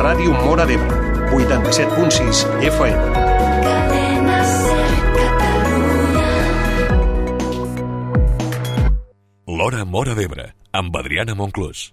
Ràdio Móra d'Ebre, 87.6 FM. Cadena Ser Catalunya. L'Hora Móra d'Ebre, amb Adriana Monclús.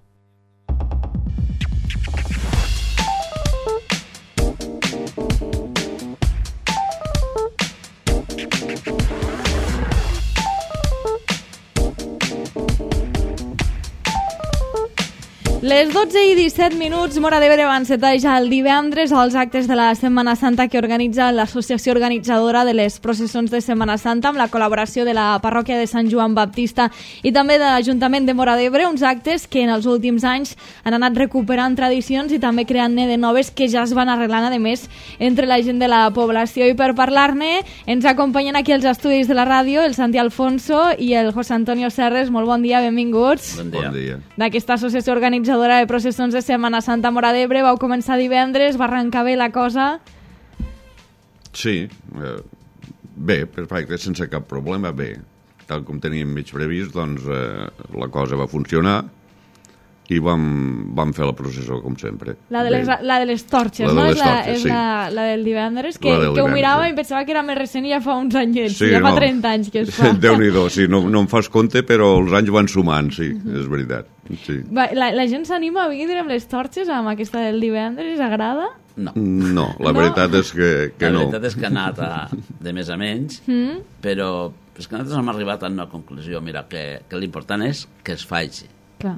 Les 12:17, Móra d'Ebre va encetar ja el divendres els actes de la Setmana Santa que organitza l'Associació Organitzadora de les Processons de Setmana Santa amb la col·laboració de la parròquia de Sant Joan Baptista i també de l'Ajuntament de Móra d'Ebre, uns actes que en els últims anys han anat recuperant tradicions i també creant-ne de noves que ja es van arreglant, a més, entre la gent de la població. I per parlar-ne ens acompanyen aquí els estudis de la ràdio el Santi Alfonso i el José Antonio Serres. Molt bon dia, benvinguts. Bon dia. Bon dia. D'aquesta associació organitzadora de processons de Setmana Santa a Móra d'Ebre. Vau començar divendres, va arrencar bé la cosa? Sí, bé, perfecte, sense cap problema, bé. Tal com teníem mig previst, doncs la cosa va funcionar i vam fer la processó com sempre. La de les torxes, no? És la del divendres, que ho mirava i pensava que era més recent i ja fa uns anyets, sí, ja fa 30 anys que es fa. Déu-n'hi-do, sí, no em fas compte, però els anys van sumant, sí, és veritat. Sí. La gent s'anima a vindre amb les torxes, amb aquesta del divendres, agrada? No, la veritat és que no. La veritat és que ha anat de més a menys, però és que nosaltres hem arribat a una conclusió, mira, que l'important és que es faci. Clar.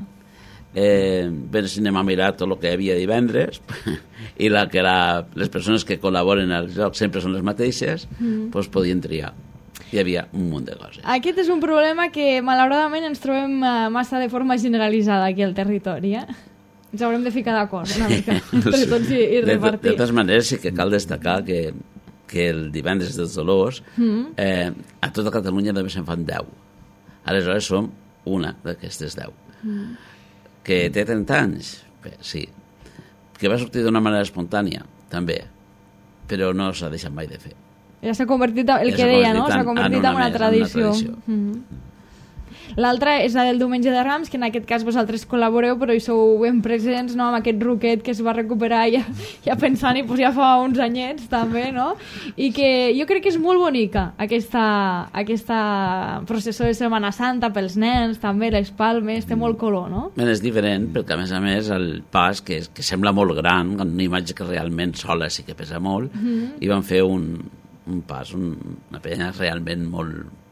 Bé, si anem a mirar tot el que hi havia divendres i que les persones que col·laboren al joc sempre són les mateixes, doncs podien triar. Hi havia un munt de coses. Aquest és un problema que malauradament ens trobem massa de forma generalitzada aquí al territori, Ens haurem de ficar d'acord una mica entre tots i repartir. De totes maneres sí que cal destacar que el divendres dels Dolors a tota Catalunya només se'n fan 10. Aleshores som una d'aquestes 10. Que té 30 anys? Bé, sí. Que va sortir d'una manera espontània? També. Però no s'ha deixat mai de fer. Ja s'ha convertit, el que deia, no? S'ha convertit en una tradició. L'altra és la del Diumenge de Rams, que en aquest cas vosaltres col·laboreu, però hi sou ben presents, no?, amb aquest ruquet que es va recuperar ja pensant, i ja fa uns anyets, també, no? I que jo crec que és molt bonica, aquesta processó de Setmana Santa pels nens, també, les palmes, té molt color, no? Ben, és diferent, perquè a més el pas, que sembla molt gran, una imatge que realment sola sí que pesa molt, i van fer un pas, una penya realment molt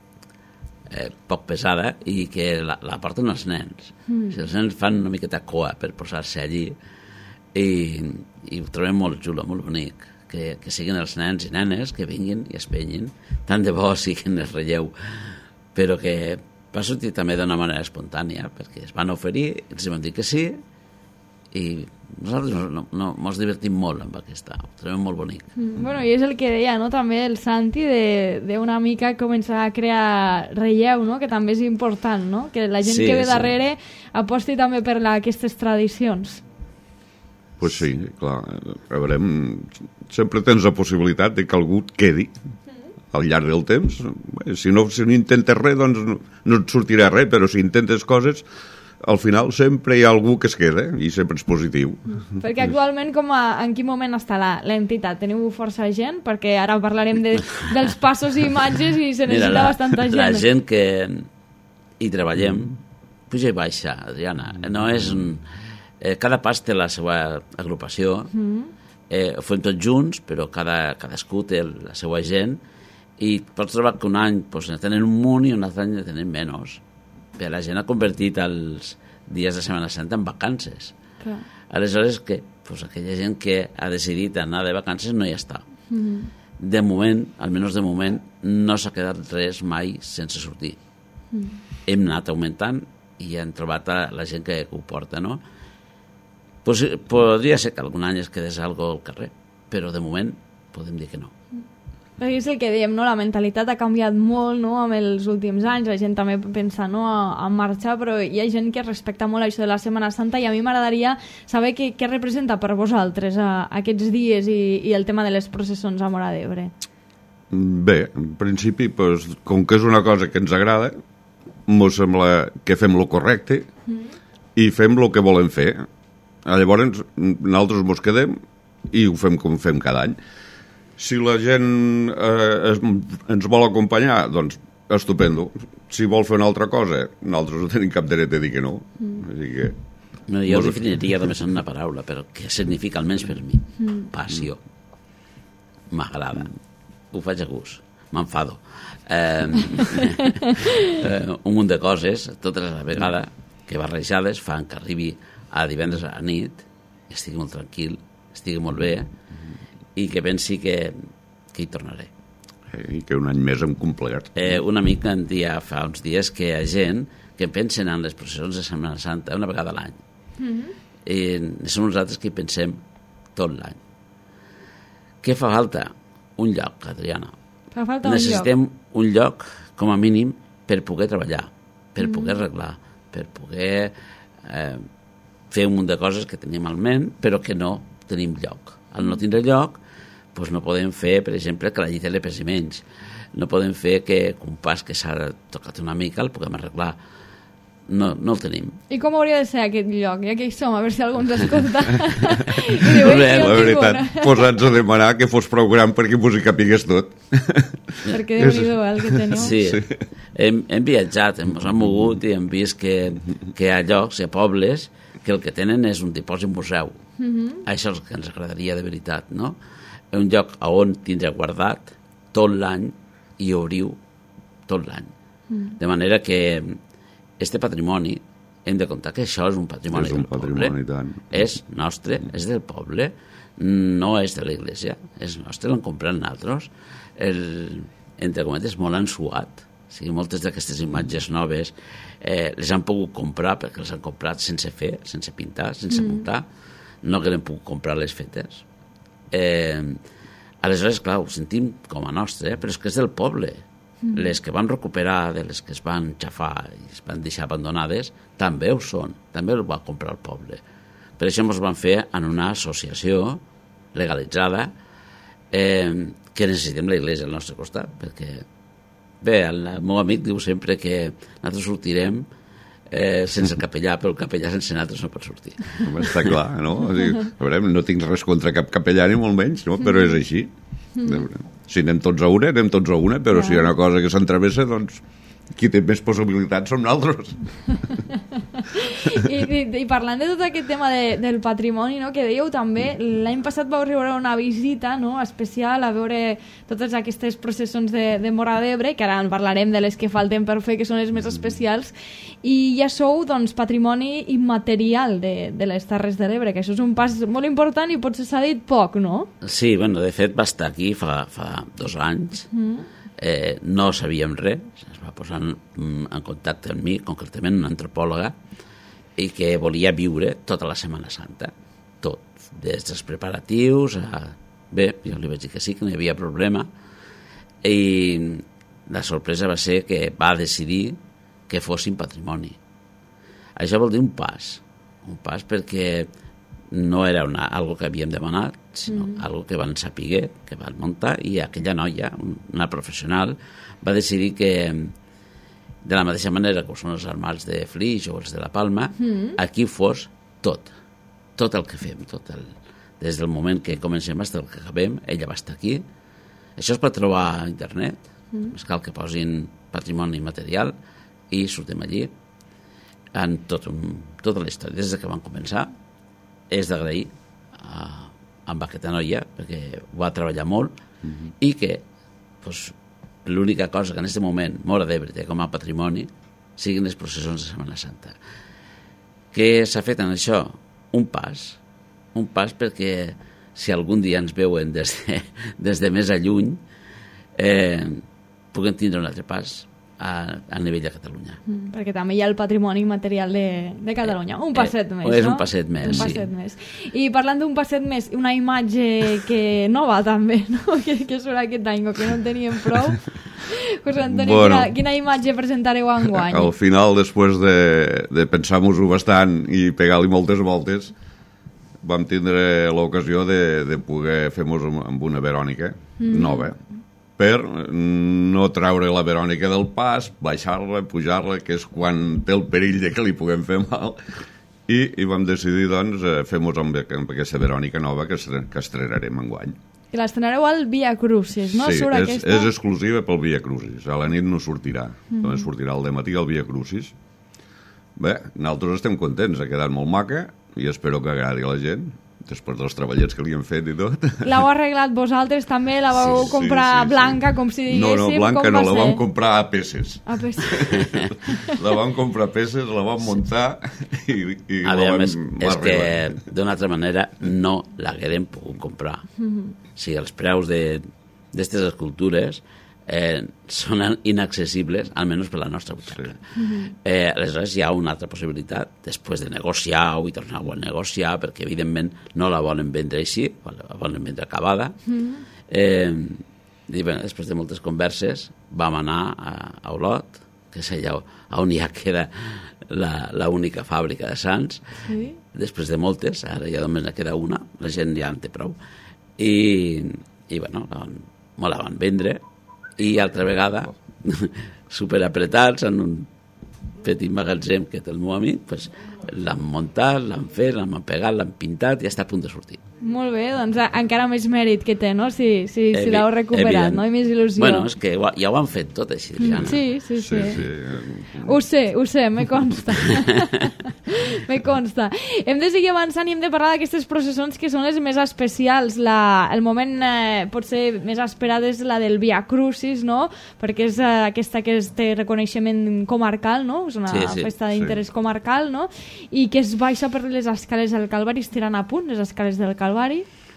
poc pesada i que la porten els nens. Si els nens fan una miqueta coa per posar-se allí i ho trobem molt xulo, molt bonic, que siguin els nens i nenes que vinguin i es penyin, tant de bo siguin el relleu, però que va sortir també d'una manera espontània, perquè es van oferir, ens vam dir que sí, i nosaltres ens divertim molt amb aquesta, ho trobem molt bonic. Bueno, i és el que deia, no?, també el Santi, d'una mica començar a crear relleu, no?, que també és important, no?, que la gent que ve darrere aposti també per aquestes tradicions. Pues sí, clar, a veure, sempre tens la possibilitat de que algú et quedi al llarg del temps. Si no intentes res, doncs no et sortirà res, però si intentes coses, al final sempre hi ha algú que es queda i sempre és positiu. Perquè actualment en quin moment està l'entitat? Teniu força gent? Perquè ara parlarem dels passos i imatges i se necessita bastanta gent. La gent que hi treballem puja i baixa, Adriana. No és cada pas té la seva agrupació, ho fem tots junts, però cadascú té la seva gent i pots trobar que un any ne tenen un munt i un altre any ne tenen menys. Bé, la gent ha convertit els dies de Setmana Santa en vacances. Clar. Aleshores, aquella gent que ha decidit anar de vacances no hi està. De moment, almenys de moment, no s'ha quedat res mai sense sortir. Hem anat augmentant i hem trobat la gent que ho porta, no? Podria ser que algun any es quedés alguna cosa al carrer, però de moment podem dir que no. Perquè és el que dèiem, no? La mentalitat ha canviat molt, no?, amb els últims anys. La gent també pensa, no?, a marxar, però hi ha gent que respecta molt això de la Setmana Santa i a mi m'agradaria saber què representa per vosaltres aquests dies i el tema de les processons a Móra d'Ebre. Bé, en principi, com que és una cosa que ens agrada, ens sembla que fem el correcte i fem el que volem fer. Llavors, nosaltres mos quedem i ho fem com fem cada any. Si la gent ens vol acompanyar, doncs estupendo. Si vol fer una altra cosa, nosaltres no tenim cap dret a dir que no. Així que... No, jo ho definiria només en una paraula, però què significa almenys per mi? Passió. M'agrada. Ho faig a gust. M'enfado. Un munt de coses, totes a la vegada, que barrejades fan que arribi a divendres a la nit, estigui molt tranquil, estigui molt bé, i que pensi que hi tornaré. I que un any més hem complert. Un amic em deia fa uns dies que hi ha gent que pensen en les processons de Setmana Santa una vegada a l'any. I som nosaltres que hi pensem tot l'any. Què fa falta? Un lloc, Adriana. Fa falta Necessitem un lloc, com a mínim, per poder treballar, per poder arreglar, per poder fer un munt de coses que tenim al ment, però que no tenim lloc. Al no tindre lloc, doncs no podem fer, per exemple, que la llitela pesi menys. No podem fer que un pas que s'ha tocat una mica el puguem arreglar. No el tenim. I com hauria de ser aquest lloc? Ja que hi som, a veure si algú ens escolta. La veritat, posats a demanar que fos prou gran perquè vos hi capigués tot. Perquè Déu-n'hi-do el que teniu. Sí. Hem viatjat, ens hem mogut i hem vist que hi ha llocs, hi ha pobles, que el que tenen és un dipòsit museu. Això és el que ens agradaria de veritat, no? Un lloc on tindre guardat tot l'any i obriu tot l'any. De manera que este patrimoni, hem de comptar que això és un patrimoni del poble. És nostre, és del poble, no és de l'Església, és nostre, l'han comprat nosaltres. Entre cometes, molt han suat. O sigui, moltes d'aquestes imatges noves les han pogut comprar perquè les han comprat sense fer, sense pintar, sense muntar. No que l'hem pogut comprar les fetes. Aleshores, clar, ho sentim com a nostre, però és que és del poble. Les que van recuperar, de les que es van xafar i es van deixar abandonades, també ho són, també ho va comprar el poble. Per això ens van fer en una associació legalitzada que necessitem l'Església al nostre costat, perquè bé, el meu amic diu sempre que nosaltres sortirem sense el capellà, però el capellà sense nosaltres no pot sortir. Està clar, no? O sigui, a veure, no tinc res contra cap capellà ni molt menys, no? Però és així. Si anem tots a una, anem tots a una, però si hi ha una cosa que s'entrevessa, doncs qui té més possibilitats som nosaltres. I parlant de tot aquest tema del patrimoni, no, que dèieu també, l'any passat vau rebre una visita, no, especial a veure totes aquestes processons de Móra d'Ebre, que ara en parlarem de les que falten per fer, que són les més especials, i ja sou, doncs, patrimoni immaterial de les Terres de l'Ebre, que això és un pas molt important i potser s'ha dit poc, no? Sí, bueno, de fet va estar aquí fa 2 anys. No sabíem res, es va posar en contacte amb mi, concretament una antropòloga, i que volia viure tota la Setmana Santa, tot, des dels preparatius a... Bé, jo li vaig dir que sí, que no hi havia problema, i la sorpresa va ser que va decidir que fossin patrimoni. Això vol dir un pas perquè no era algo que havíem demanat, sinó algo que van saber, que van muntar, i aquella noia, una professional, va decidir que, de la mateixa manera que ho són els armals de Flix o els de la Palma, aquí fos tot el que fem, des del moment que comencem fins el que acabem, ella va estar aquí. Això es pot trobar a internet, més cal que posin patrimoni material i sortim allí en tota la història, des que van començar. És d'agrair amb aquesta noia perquè va treballar molt i que doncs, l'única cosa que en aquest moment Móra d'Ebre té com a patrimoni siguin les processons de Setmana Santa. Què s'ha fet en això? Un pas perquè si algun dia ens veuen des de més a lluny puguem tindre un altre pas a nivell de Catalunya. Perquè també hi ha el patrimoni material de Catalunya. Un passet més, no? És un passet més, sí. Més. I parlant d'un passet més, una imatge que nova també, no? que surt aquest any, o que no en teníem prou. José Antonio, quina imatge presentareu enguany? Al final, després de pensar-nos-ho bastant i pegar-li moltes voltes, vam tindre l'ocasió de poder fer-nos amb una Verònica nova, per no treure la Verònica del pas, baixar-la, pujar-la, que és quan té el perill de que li puguem fer mal, i vam decidir, doncs, fer-nos amb aquesta Verònica nova que estrenarem enguany. I l'estrenareu al Via Crucis, no? Sí, Surt és exclusiva pel Via Crucis. A la nit no sortirà. Només sortirà al dematí al Via Crucis. Bé, nosaltres estem contents, ha quedat molt maca i espero que agradi a la gent, després dels treballets que li hem fet i tot. L'heu arreglat vosaltres també? La vau comprar blanca, com si diguéssim? No, blanca no, la vam comprar a peces. A peces. La vam comprar a peces, la vam muntar i a veure, és que d'una altra manera no l'haguérem pogut comprar. O sigui, els preus d'aquestes escultures són inaccessibles, almenys per la nostra butxaca. Aleshores hi ha una altra possibilitat, després de negociar-ho i tornar-ho a negociar, perquè evidentment no la volen vendre així, la volen vendre acabada. I bé, després de moltes converses vam anar a Olot, que és allà on ja queda l'única fàbrica de Sants. Després de moltes, ara ja només ne queda una, la gent ja en té prou. I bueno, me la van vendre, i altra vegada superapretats en un petit magatzem que té el meu amic, pues, l'han muntat, l'han fet, l'han pegat, l'han pintat i està a punt de sortir. Molt bé, doncs encara més mèrit que té, no? Si l'heu recuperat, no? I més il·lusió. Bueno, és que ja ho han fet tot així, Diana. Sí. Ho sé, me consta. Me consta. Hem de seguir avançant i hem de parlar d'aquestes processons que són les més especials. El moment potser més esperat és la del Via Crucis, no? Perquè és aquesta que té reconeixement comarcal, no? És una festa d'interès comarcal, no? I que es baixa per les escales del Calvari, estiran a punt les escales del Calvari,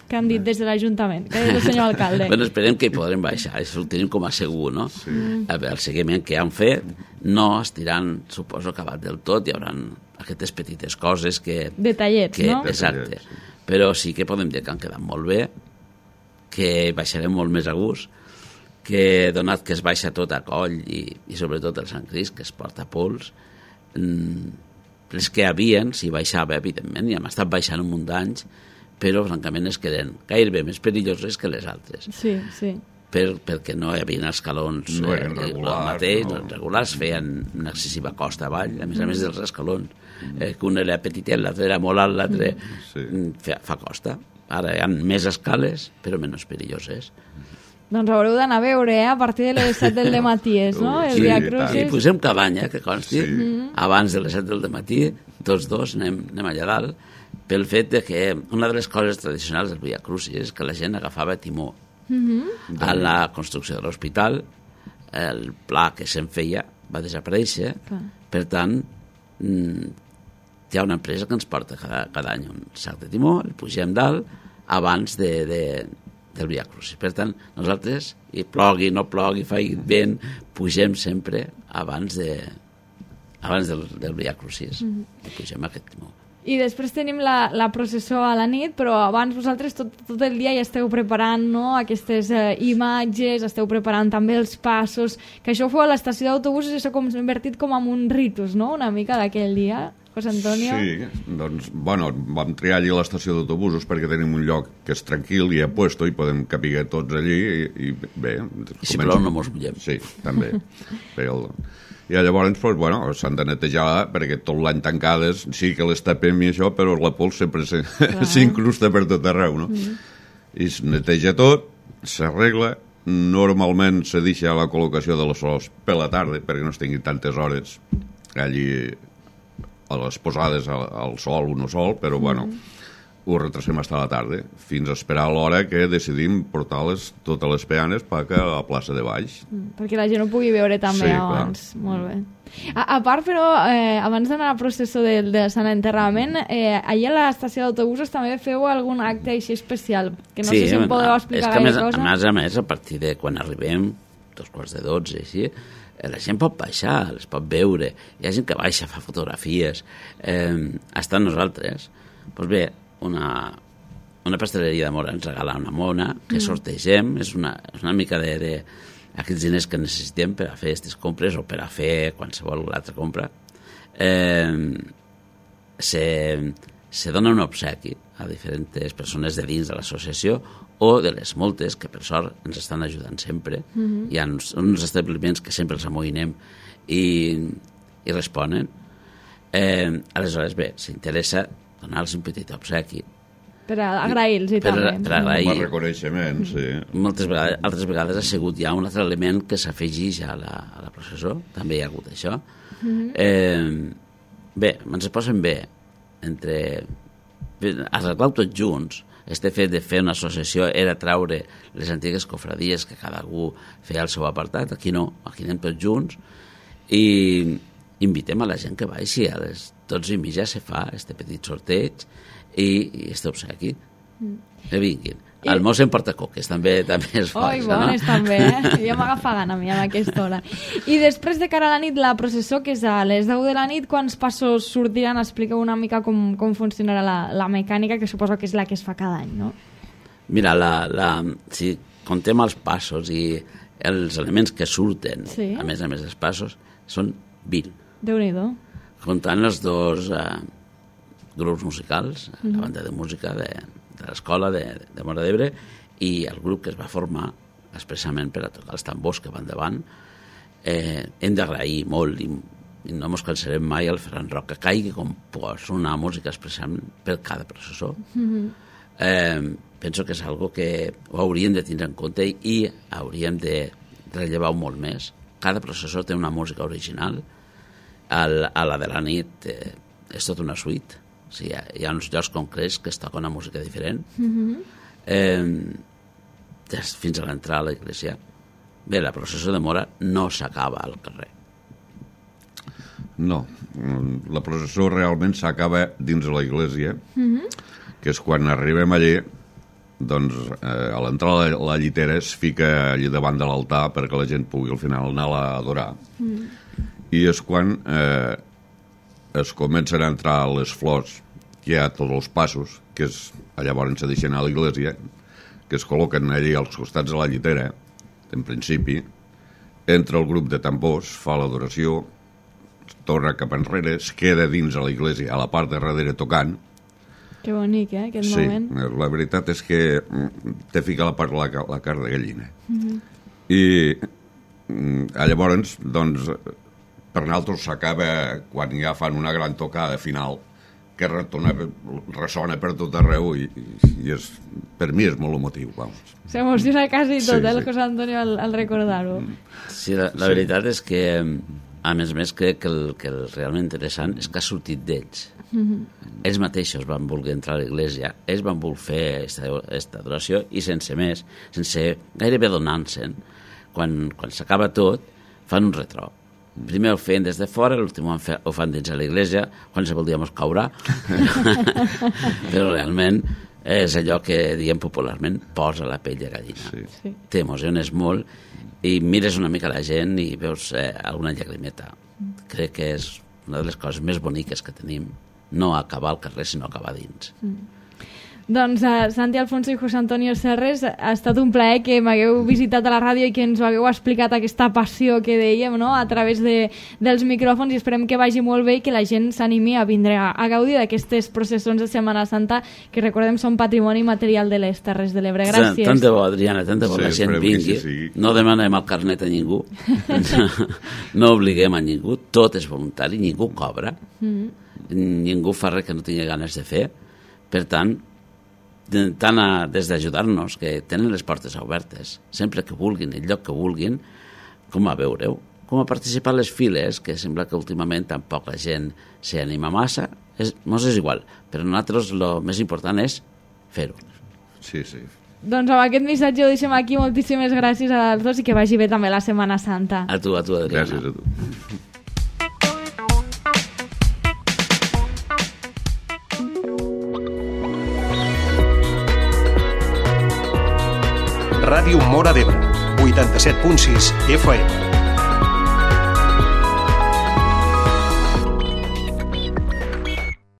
que han dit des de l'Ajuntament, que és el senyor alcalde. Bueno, esperem que hi podrem baixar, això ho tenim com a segur, no? A veure, el seguiment que han fet no estiran, suposo, acabat del tot, hi haurà aquestes petites coses que... Detallets, no? Exacte. Però sí que podem dir que han quedat molt bé, que baixarem molt més a gust, que donat que es baixa tot a coll i sobretot el Sant Crist, que es porta a pols, les que havien, si baixava, evidentment, i hem estat baixant un munt d'anys, però francament es queden gairebé més perilloses que les altres. Sí. Perquè no hi havia escalons regulars, feien una excessiva costa avall, a més dels escalons, que un era petitet, l'altre era molt alt, l'altre fa costa. Ara hi ha més escales, però menys perilloses. Doncs haureu d'anar a veure, a partir de les 7 del dematí, no? El Via Crucis. I posem cabanya, que consti, abans de les 7 del matí, tots dos anem allà dalt, pel fet de que una de les coses tradicionals del Via Crucis és que la gent agafava timó. A la construcció de l'hospital, el pla que se'n feia va desaparèixer, per tant, hi ha una empresa que ens porta cada any un sac de timó, el pugem dalt abans del Via Crucis. Per tant, nosaltres, i plogui, no plogui, faci vent, pugem sempre abans del Via Crucis. Pugem aquest timó. I després tenim la processó a la nit, però abans vosaltres tot el dia ja esteu preparant, no?, aquestes imatges, esteu preparant també els passos, que això fou a l'estació d'autobusos i s'ha convertit com en un ritus, no?, una mica d'aquell dia, José Antonio. Sí, doncs, bueno, vam triar allí l'estació d'autobusos perquè tenim un lloc que és tranquil i a puesto i podem capiguer tots allí i bé... I si plou no mos mullem. Sí, també. I llavors, doncs, bueno, s'han de netejar perquè tot l'any tancades, sí que les tapem i això, però la pols sempre s'incrusta per tot arreu, no? I es neteja tot, s'arregla, normalment se deixa la col·locació de les sols per la tarda perquè no es tingui tantes hores allí a les posades al sol, un sol, però bueno, ho retrasem fins a la tarda, fins a esperar l'hora que decidim portar totes les peanes a la plaça de baix. Perquè la gent ho pugui veure també abans. Clar. Molt bé. A part, però, abans d'anar a la processó del Sant Enterrament, allà a l'estació d'autobusos també feu algun acte així especial, que no sé si em podeu explicar gaire cosa. A més, a partir de quan arribem, 11:45, així, la gent pot baixar, les pot veure, hi ha gent que baixa, fa fotografies, està amb nosaltres. Doncs bé, una pasteleria de Mora ens regala una mona que sortegem, és una mica d'aquests diners que necessitem per a fer aquestes compres o per a fer qualsevol altra compra. Se dona un obsequi a diferents persones de dins de l'associació o de les moltes que per sort ens estan ajudant sempre. Hi ha uns establiments que sempre els amoïnem i responen. Aleshores, bé, s'interessa donar-los un petit obsequi. Per agrair-los i també. Per agrair. Com a reconeixement, sí. Altres vegades ha sigut ja un altre element que s'afegeix a la processó, també hi ha hagut això. Bé, ens posen bé entre arreglar tots junts. Este fet de fer una associació era traure les antigues cofradies que cada algú feia el seu apartat. Aquí no, aquí anem tots junts i invitem a la gent que baixi a les 12:30 se fa este petit sorteig i este obsequi que vinguin. El mos emporta coques, també es fa. Oi, bones també, ja m'agafa gana a mi a aquesta hora. I després de cara a la nit, la processó, que és a les 10 de la nit, quants passos sortiran? Expliqueu una mica com funcionarà la mecànica, que suposo que és la que es fa cada any, no? Mira, si contem els passos i els elements que surten, sí. a més dels passos, són 20. Déu-n'hi-do. Comptant els dos grups musicals, la banda de música de l'escola de Móra d'Ebre i el grup que es va formar expressament per a tocar els tambors que van davant. Hem d'agrair molt i no ens cansarem mai al Ferran Roca Cai, que composa una música expressament per cada processó. Penso que és algo que ho hauríem de tindre en compte i hauríem de rellevar molt més. Cada processó té una música original. A la de la nit és tota una suite. O sigui, hi ha uns llocs concrets que es toca una música diferent fins a l'entrada a l'església. Bé, la processó de Móra no s'acaba al carrer. No, la processó realment s'acaba dins de l'església, que és quan arribem allí, doncs a l'entrada de la llitera es fica allí davant de l'altar perquè la gent pugui al final anar-la a adorar. I és quan es comencen a entrar les flors, que hi ha tots els passos, que és, llavors se deixen a l'església, que es col·loquen allí als costats de la llitera, en principi, entra el grup de tambors, fa l'adoració, torna cap enrere, es queda dins a l'església, a la part de darrere tocant. Que bonic, aquest moment. Sí, la veritat és que te fica la cara de gallina. I llavors, doncs, per nosaltres s'acaba quan ja fan una gran tocada final que ressona per tot arreu i per mi és molt emotiu. S'emociona quasi tot, el José Antonio, al recordar-ho. Sí, la veritat és que, a més, crec que el realment interessant és que ha sortit d'ells. Ells mateixos van voler entrar a l'església, ells van voler fer aquesta adoració i sense més, sense gairebé donar-se'n, quan s'acaba tot, fan un retrò. Primer ho feien des de fora, l'últim ho fan dins de l'església, quan se voldríem caure, però realment és allò que diem popularment posa la pell de gallina. Sí. T'emociones molt i mires una mica la gent i veus alguna llagrimeta. Crec que és una de les coses més boniques que tenim, no acabar al carrer, sinó acabar dins. Doncs Santi Alfonso i José Antonio Serres, ha estat un plaer que m'hagueu visitat a la ràdio i que ens ho hagueu explicat aquesta passió que dèiem, no?, a través dels micròfons, i esperem que vagi molt bé i que la gent s'animi a vindre a gaudir d'aquestes processons de Setmana Santa que, recordem, són patrimoni material de les Terres de l'Ebre. Gràcies. Tant de bo, Adriana, tant de bo la gent vingui. No demanem el carnet a ningú, no obliguem a ningú, tot és voluntari, ningú cobra, ningú fa res que no tingui ganes de fer. Per tant, des d'ajudar-nos, que tenen les portes obertes sempre que vulguin, el lloc que vulguin, com a veureu, com a participar a les files, que sembla que últimament tampoc la gent s'hi anima massa, mos és igual, però nosaltres el més important és fer-ho. Sí. Doncs amb aquest missatge ho deixem aquí. Moltíssimes gràcies als dos i que vagi bé també la Setmana Santa. A tu, Adriana. Gràcies a tu. Ràdio Móra d'Ebre, 87.6 FM.